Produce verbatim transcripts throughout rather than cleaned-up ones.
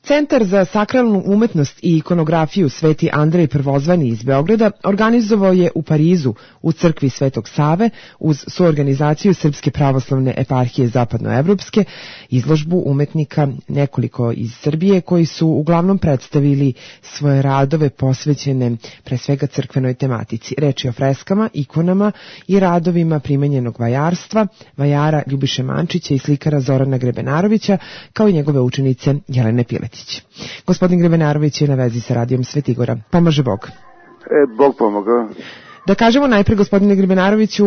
Centar za sakralnu umetnost i ikonografiju Sveti Andrej Prvozvani iz Beograda organizovao je u Parizu u crkvi Svetog Save uz suorganizaciju Srpske pravoslavne eparhije zapadnoevropske izložbu umetnika nekoliko iz Srbije koji su uglavnom predstavili svoje radove posvećene pre svega crkvenoj tematici. Reč je o freskama, ikonama i radovima primenjenog vajarstva, vajara Ljubiše Mančića i slikara Zorana Grebenarovića, kao i njegove učenice Jelene Piletić. Gospodin Grebenarović je na vezi sa radijom Svetigora. Pomaže Bog. E, Bog pomogao. Da kažemo najpre, gospodine Grebenaroviću,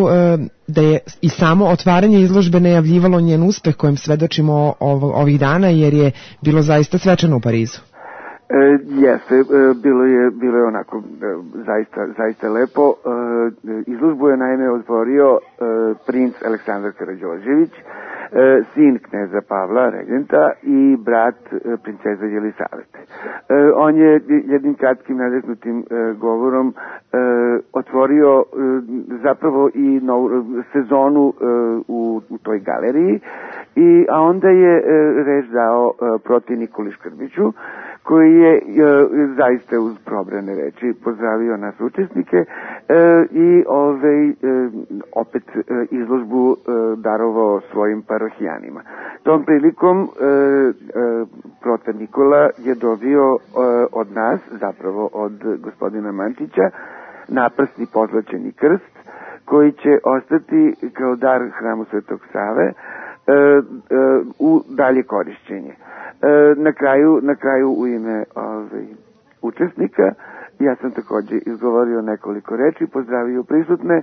da je i samo otvaranje izložbe najavljivalo njen uspeh kojem svedočimo ovih dana, jer je bilo zaista svečano u Parizu. E, jeste, e, bilo je, bilo je onako e, zaista, zaista lepo. E, izložbu je naime otvorio e, princ Aleksandar Karađorđević, E, sin kneza Pavla, regenta, i brat e, princeza Jelisavete. E, on je jednim kratkim nadahnutim e, govorom e, otvorio e, zapravo i novu sezonu e, u, u toj galeriji, i, a onda je e, reč dao e, protiv Nikoli Škrbiću, koji je e, zaista uz probrane reči pozdravio nas učesnike e, i ovaj, e, opet e, izložbu e, darovao svojim parohijanima. Tom prilikom e, e, protar Nikola je dobio e, od nas, zapravo od gospodina Mančića, naprsni pozlaćeni krst, koji će ostati kao dar hramu Svetog Save e, e, u dalje korišćenje. E, na kraju, na kraju u ime ovaj, učesnika ja sam također izgovorio nekoliko reči, pozdravio prisutne,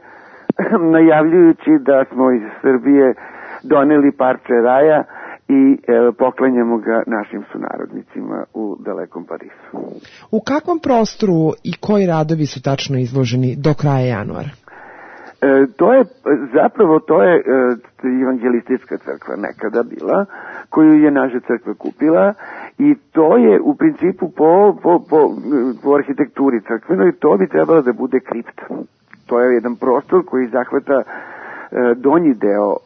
najavljujući da smo iz Srbije doneli parče raja i e, poklanjamo ga našim sunarodnicima u dalekom Parizu. U kakvom prostoru i koji radovi su tačno izloženi do kraja januara? E, to je, zapravo to je e, evangelistička crkva nekada bila, koju je naša crkva kupila, i to je u principu po, po, po, po arhitekturi crkvenoj, to bi trebalo da bude kripta. To je jedan prostor koji zahvata e, donji deo e,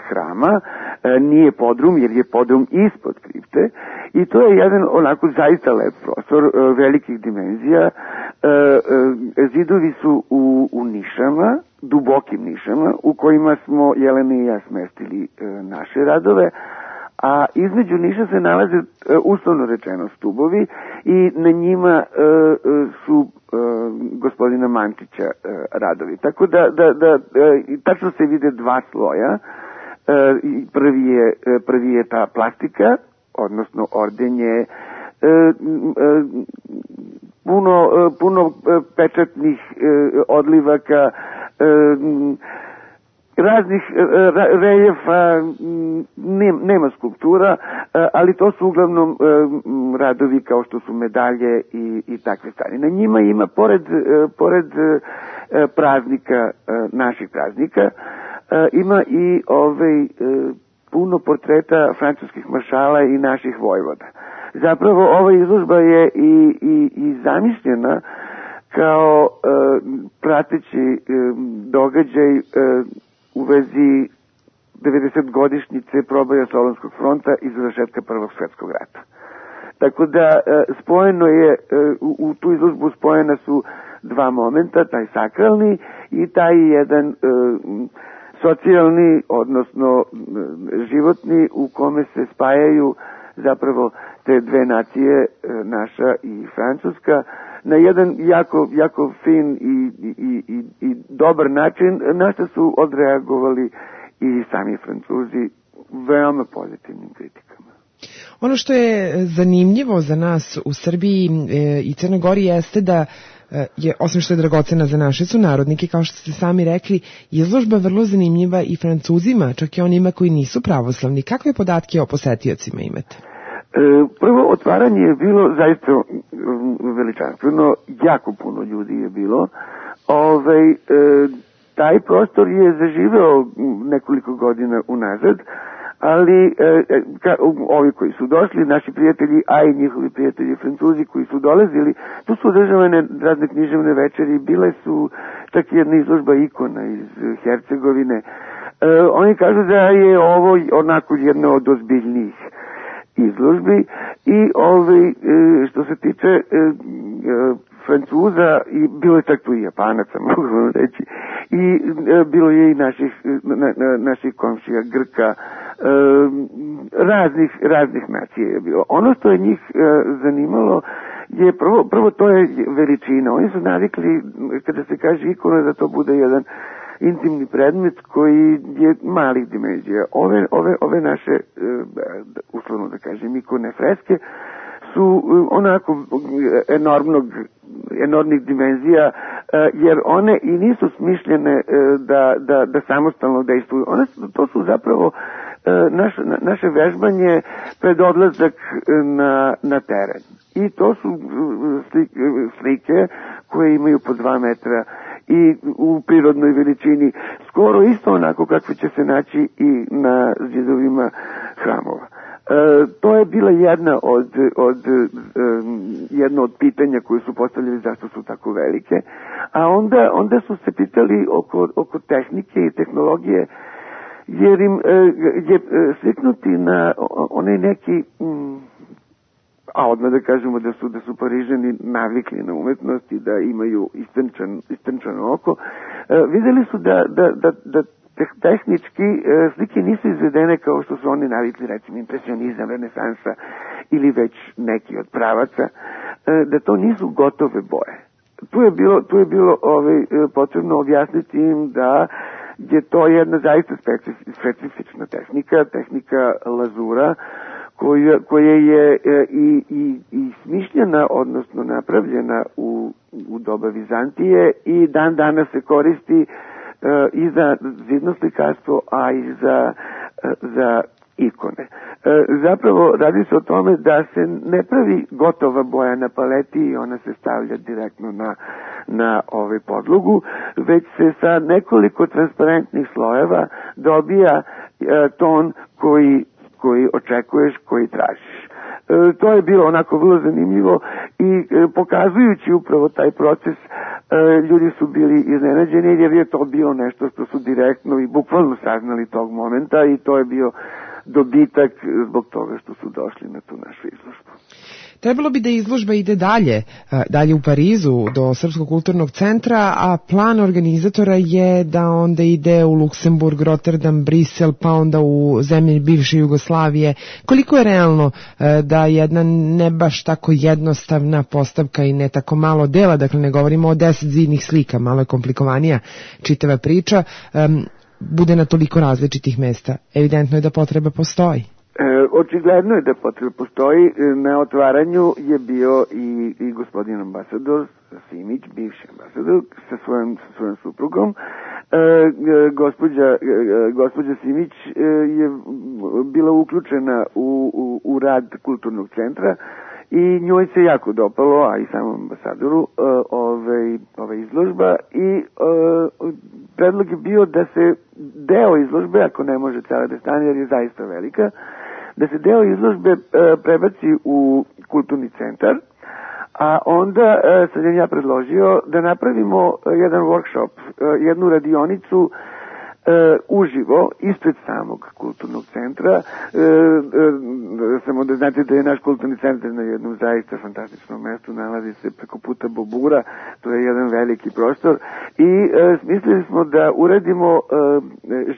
hrama, e, nije podrum, jer je podrum ispod kripte, i to je jedan onako zaista lep prostor, e, velikih dimenzija. E, e, zidovi su u, u nišama, dubokim nišama, u kojima smo Jelena i ja smestili e, naše radove, a između niša se nalaze, e, uslovno rečeno, stubovi, i na njima e, su e, gospodina Mančića e, radovi. Tako da, da, da e, tačno se vide dva sloja. E, prvi, je, prvi je ta plastika, odnosno ordenje, e, e, puno, e, puno pečatnih e, odlivaka, e, raznih reljefa, nema skulptura, ali to su uglavnom radovi kao što su medalje i, i takve stvari. Na njima ima, pored, pored praznika, naših praznika, ima i ovaj, puno portreta francuskih maršala i naših vojvoda. Zapravo ova izložba je i, i, i zamišljena kao prateći događaj u vezi devedesetogodišnjice proboja Solunskog fronta i završetka Prvog svjetskog rata. Tako da spojeno je, u, u tu izložbu spojena su dva momenta, taj sakralni i taj jedan e, socijalni, odnosno životni, u kome se spajaju zapravo te dve nacije, naša i francuska, na jedan jako, jako fin i, i, i, i dobar način, na što su odreagovali i sami Francuzi veoma pozitivnim kritikama. Ono što je zanimljivo za nas u Srbiji e, i Crnoj Gori jeste da je, osim što je dragocena za naše sunarodnike, kao što ste sami rekli, izložba vrlo zanimljiva i Francuzima, čak i onima koji nisu pravoslavni. Kakve podatke o posetiocima imate? E, prvo otvaranje je bilo zaista veličanstveno, jako puno ljudi je bilo. Ove, e, taj prostor je zaživeo nekoliko godina unazad, ali e, ka, ovi koji su došli, naši prijatelji, a i njihovi prijatelji Francuzi koji su dolazili, tu su održavane razne književne večeri, bile su čak jedna izložba ikona iz Hercegovine. E, oni kažu da je ovo onako jedno od ozbiljnijih. izložbi i ovaj, što se tiče Francuza, i bilo je tako i Japanaca, mogu vam reći, i bilo je i naših, na, na, naših komšija, Grka, raznih, raznih nacija je bilo. Ono što je njih zanimalo je prvo, prvo to je veličina. Oni su navikli, kada se kaže ikona, da to bude jedan intimni predmet koji je malih dimenzija. Ove, ove, ove naše, uslovno da kažem, ikone freske su onako enormnog, enormnih dimenzija, jer one i nisu smišljene da, da, da samostalno dejstvuju. One su, to su zapravo naš, naše vežbanje pred odlazak na, na teren. I to su slike, slike koje imaju po dva metra i u prirodnoj veličini, skoro isto onako kakve će se naći i na zidovima hramova. E, to je bila jedna od, od, um, jedno od pitanja koje su postavljali zašto su tako velike, a onda, onda su se pitali oko, oko tehnike i tehnologije, jer im e, je sliknuti na onaj neki... Mm, a odmah da kažemo da su, da su Parižani navikli na umetnost i da imaju istrčan, istrčano oko, e, videli su da, da, da, da tehnički e, slike nisu izvedene kao što su oni navikli, recimo impresionizam, renesansa ili već neki od pravaca, e, da to nisu gotove boje. Tu je bilo, tu je bilo ovaj, potrebno objasniti im da je to jedna zaista specifična tehnika, tehnika lazura, koja, koja je e, i, i, i smišljena, odnosno napravljena u, u doba Vizantije i dan danas se koristi e, i za zidno slikarstvo, a i za, e, za ikone. E, zapravo radi se o tome da se ne pravi gotova boja na paleti i ona se stavlja direktno na, na ovaj podlogu, već se sa nekoliko transparentnih slojeva dobija e, ton koji koji očekuješ, koji tražiš. E, to je bilo onako vrlo zanimljivo i e, pokazujući upravo taj proces, e, ljudi su bili iznenađeni jer je to bilo nešto što su direktno i bukvalno saznali tog momenta i to je bio dobitak zbog toga što su došli na tu našu izložbu. Trebalo bi da izložba ide dalje, dalje u Parizu do Srpskog kulturnog centra, a plan organizatora je da onda ide u Luksemburg, Rotterdam, Brisel, pa onda u zemlje bivše Jugoslavije. Koliko je realno da jedna ne baš tako jednostavna postavka i ne tako malo dela, dakle ne govorimo o deset zidnih slika, malo je komplikovanija čitava priča, bude na toliko različitih mesta? Evidentno je da potreba postoji. E, očigledno je da potreba postoji. Na otvaranju je bio i, i gospodin ambasador Simić, bivši ambasador, sa svojom, sa svojom suprugom. E, gospođa, e, gospođa Simić e, je bila uključena u, u, u rad kulturnog centra i njoj se jako dopalo, a i samom ambasadoru, e, ove, ove izložba i e, predlog je bio da se deo izložbe, ako ne može cela da stane jer je zaista velika, da se deo izložbe e, prebaci u kulturni centar, a onda e, sam ja predložio da napravimo jedan workshop, e, jednu radionicu e, uživo ispred samog kulturnog centra. E, e, samo da znate da je naš kulturni centar na jednom zaista fantastičnom mestu, nalazi se preko puta Bobura, to je jedan veliki prostor i e, smislili smo da uradimo e,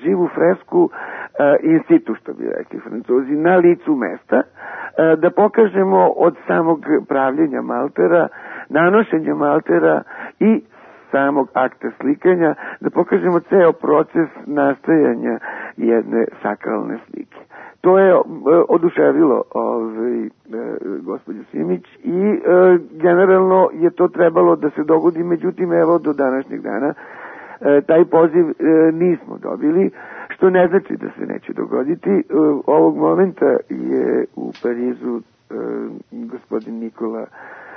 živu fresku e, in situ, što bi rekli Francuzi, na licu mesta, e, da pokažemo od samog pravljenja maltera, nanošenja maltera i samog akta slikanja, da pokažemo ceo proces nastajanja jedne sakralne slike. To je e, oduševilo ovaj, e, gospođu Simić i e, generalno je to trebalo da se dogodi, međutim evo do današnjeg dana e, taj poziv e, nismo dobili, što ne znači da se neće dogoditi. E, ovog momenta je u Parizu e, gospodin Nikola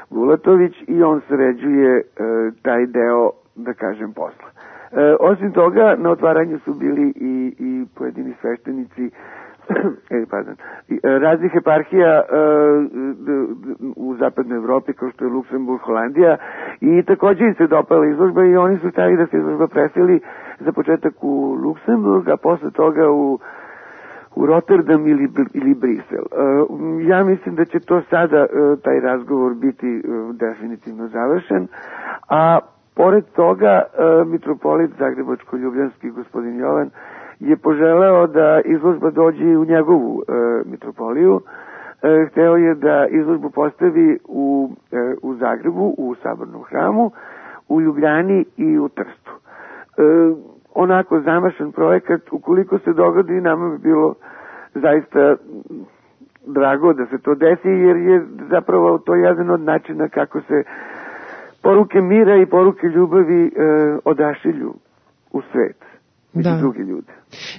Bulatović i on sređuje e, taj deo, da kažem, posla. E, osim toga, na otvaranju su bili i, i pojedini sveštenici e, pardon, raznih eparhija e, u zapadnoj Evropi, kao što je Luksemburg, Holandija, i također im se dopala izložba i oni su stavili da se izložba preseli za početak u Luksemburg, a posle toga u u Rotterdam ili, ili Brisel. Ja mislim da će to sada, taj razgovor biti definitivno završen, a pored toga mitropolit Zagrebačko-ljubljanski gospodin Jovan je poželeo da izložba dođe u njegovu mitropoliju. Hteo je da izložbu postavi u, u Zagrebu, u Sabornom hramu, u Ljubljani i u Trstu. Onako zamašan projekat, ukoliko se dogodi, nama bi bilo zaista drago da se to desi, jer je zapravo to jedan od načina kako se poruke mira i poruke ljubavi e, odašilju u svet među druge ljude.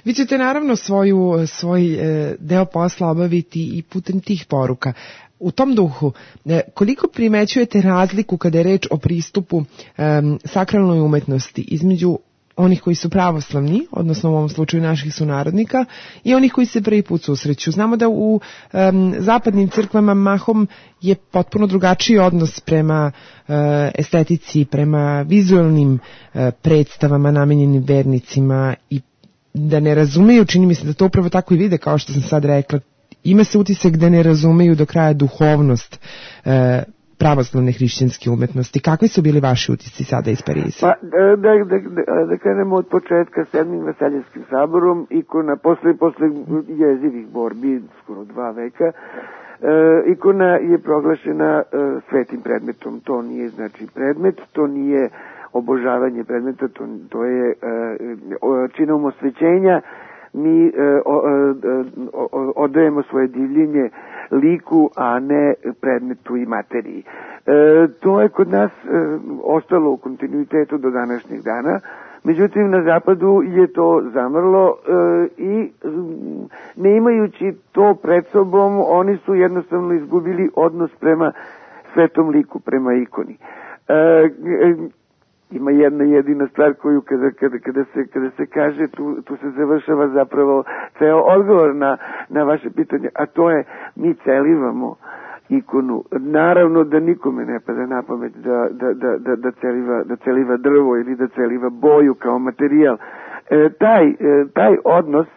Vi ćete naravno svoju, svoj e, deo posla obaviti i putem tih poruka. U tom duhu, e, koliko primećujete razliku kada je reč o pristupu e, sakralnoj umetnosti između onih koji su pravoslavni, odnosno u ovom slučaju naših sunarodnika, i onih koji se prvi put susreću? Znamo da u um, zapadnim crkvama mahom je potpuno drugačiji odnos prema uh, estetici, prema vizualnim uh, predstavama namenjenim vernicima, i da ne razumeju, čini mi se da to upravo tako i vide, kao što sam sad rekla, ima se utisak da ne razumeju do kraja duhovnost uh, pravoslavne hrišćanske umetnosti. Kakvi su bili vaši utisci sada iz Pariza? Pa, da, da, da, da krenemo od početka sedmim Vaseljevskim saborom, ikona, posle, posle jezivih borbi, skoro dva veka, e, ikona je proglašena e, svetim predmetom. To nije znači predmet, to nije obožavanje predmeta, to, to je e, činom osvećenja. Mi e, o, o, odajemo svoje divljenje liku, a ne predmetu i materiji. E, to je kod nas e, ostalo u kontinuitetu do današnjeg dana, međutim na zapadu je to zamrlo e, i ne imajući to pred sobom, oni su jednostavno izgubili odnos prema svetom liku, prema ikoni. E, e, Ima jedna jedina stvar koju kada, kada, kada, se, kada se kaže, tu, tu se završava zapravo ceo odgovor na, na vaše pitanje, a to je mi celivamo ikonu. Naravno da nikome ne pada na pamet da, da, da, da, da, celiva, da celiva drvo ili da celiva boju kao materijal. E, taj, e, taj odnos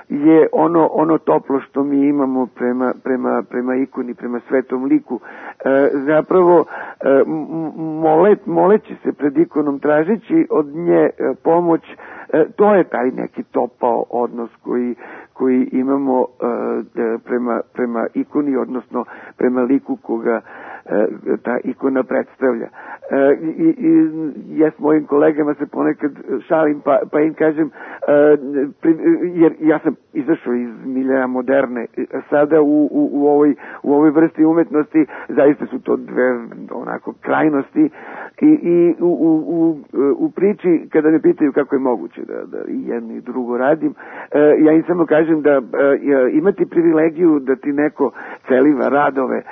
je ono ono toplo što mi imamo prema prema prema ikoni, prema svetom liku. E, zapravo e, molet, moleći se pred ikonom, tražeći od nje e, pomoć, e, to je taj neki topao odnos koji koji imamo e, prema prema ikoni, odnosno prema liku koga e, ta ikona predstavlja. E, i, i ja s mojim kolegama se ponekad šalim pa, pa im kažem, e, pri, jer ja sam izašao iz miljeja moderne, sada u, u, u, ovoj, u ovoj vrsti umetnosti zaista su to dve onako krajnosti, i, i u, u, u, u priči kada me pitaju kako je moguće da, da i jedno i drugo radim, e, ja im samo kažem da e, imati privilegiju da ti neko celiva radove,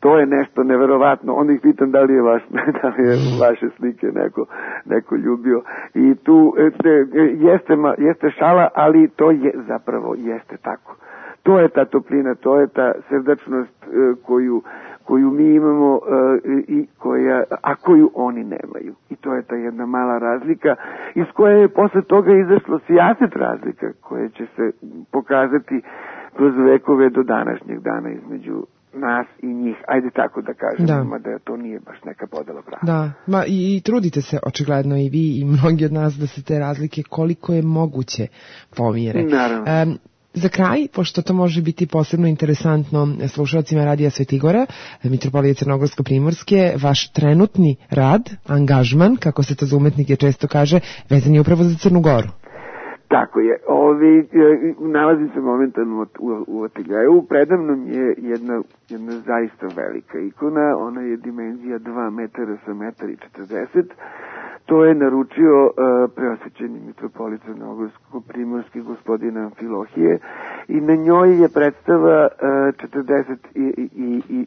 to je nešto neverovatno. Onda ih pitam da li je, vaš, da li je vaše slike neko, neko ljubio. I tu te, jeste, jeste šala, ali to je zapravo jeste tako. To je ta toplina, to je ta srdačnost koju, koju mi imamo, i koja, a koju oni nemaju. I to je ta jedna mala razlika iz koje je posle toga izašlo sijaset razlika koje će se pokazati kroz vekove do današnjeg dana između nas i njih, ajde tako da kažem, da, ima da to nije baš neka podela prava. Da, ma i, i trudite se očigledno i vi i mnogi od nas da se te razlike koliko je moguće pomire. Naravno. Um, Za kraj, pošto to može biti posebno interesantno slušalcima Radija Svetigora, Mitropolije Crnogorsko-Primorske, vaš trenutni rad, angažman, kako se to za umetnike često kaže, vezan je upravo za Crnu Goru. Tako je. Ovi, nalazim se momentalno u, u ateljeju. Predamnom je jedna, jedna zaista velika ikona. Ona je dimenzija dva metara sa metar i četrdeset. To je naručio uh, preosvećeni mitropolit Crnogorsko-Primorski gospodin Amfilohije, i na njoj je predstava uh, četrdeset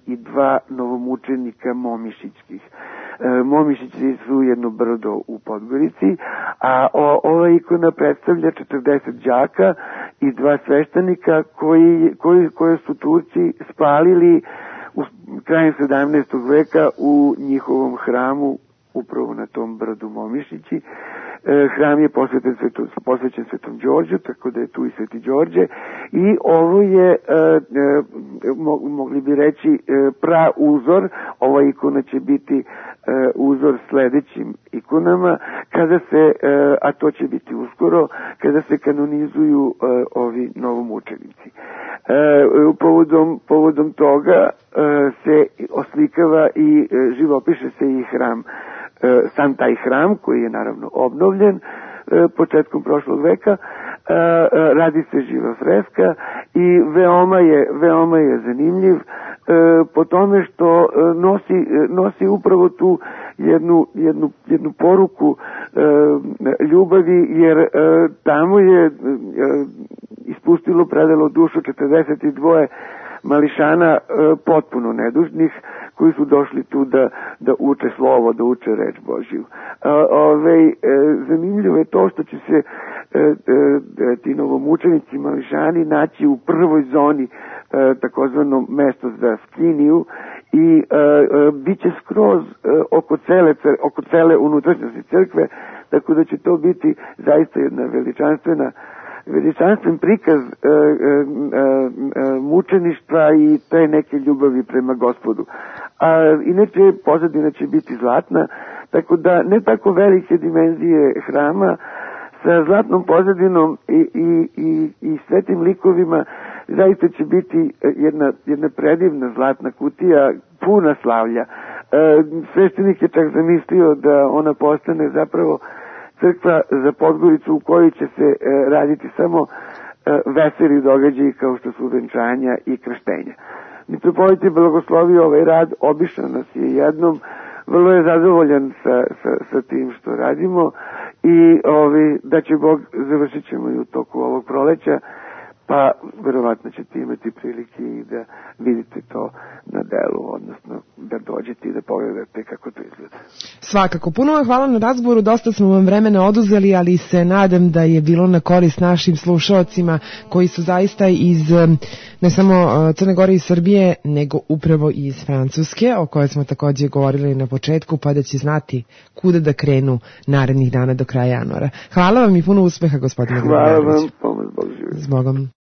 dva novomučenika momišićkih. Uh, Momišići su jedno brdo u Podgorici, a o, ova ikona predstavlja četrdeset đaka i dva sveštenika koji, koji, koje su Turci spalili u krajem sedamnaestog veka u njihovom hramu, upravo na tom brdu Momišići. hram je posvećen svetom, posvećen svetom Đorđu, tako da je tu i sveti Đorđe, i ovo je, mogli bi reći, pra uzor. Ova ikona će biti uzor sledećim ikonama, kada se, a to će biti uskoro, kada se kanonizuju ovi novomučenici. Povodom, povodom toga se oslikava i živopiše se i hram, sam taj hram koji je naravno obnovljen početkom prošlog veka. Radi se živa freska i veoma je, veoma je zanimljiv po tome što nosi, nosi upravo tu jednu, jednu, jednu poruku ljubavi, jer tamo je ispustilo, predalo dušu četrdeset dva mališana potpuno nedužnih, koji su došli tu da, da uče slovo, da uče reč Božju. Ove, zanimljivo je to što će se ti novomučenici mališani naći u prvoj zoni, takozvano mesto za skiniju, i bit će skroz oko cele, oko cele unutrašnjosti crkve, tako da će to biti zaista jedna veličanstvena veličanstven prikaz e, e, e, mučeništva i te neke ljubavi prema Gospodu. A inače pozadina će biti zlatna, tako da ne tako velike dimenzije hrama, sa zlatnom pozadinom i, i, i, i svetim likovima, zaista će biti jedna, jedna predivna zlatna kutija puna slavlja. E, sveštenik je čak zamislio da ona postane zapravo crkva za Podgoricu u kojoj će se e, raditi samo e, veseli događaji kao što su venčanja i krštenja. Mitropolit je blagoslovio ovaj rad, obišao nas je jednom, vrlo je zadovoljan sa, sa, sa tim što radimo i ovi, da će Bog, završit ćemo i u toku ovog proleća, pa verovatno ćete imati prilike i da vidite to na delu, odnosno da dođete i da pogledate kako to izgleda. Svakako, puno vam hvala na razgovoru, dosta smo vam vremena oduzeli, ali se nadam da je bilo na korist našim slušaocima koji su zaista iz ne samo Crne Gore i Srbije, nego upravo iz Francuske, o kojoj smo takođe govorili na početku, pa da će znati kuda da krenu narednih dana do kraja januara. Hvala vam i puno uspeha, gospodine Gromanović. Hvala vam, pomoć Bog živi. S Bogom.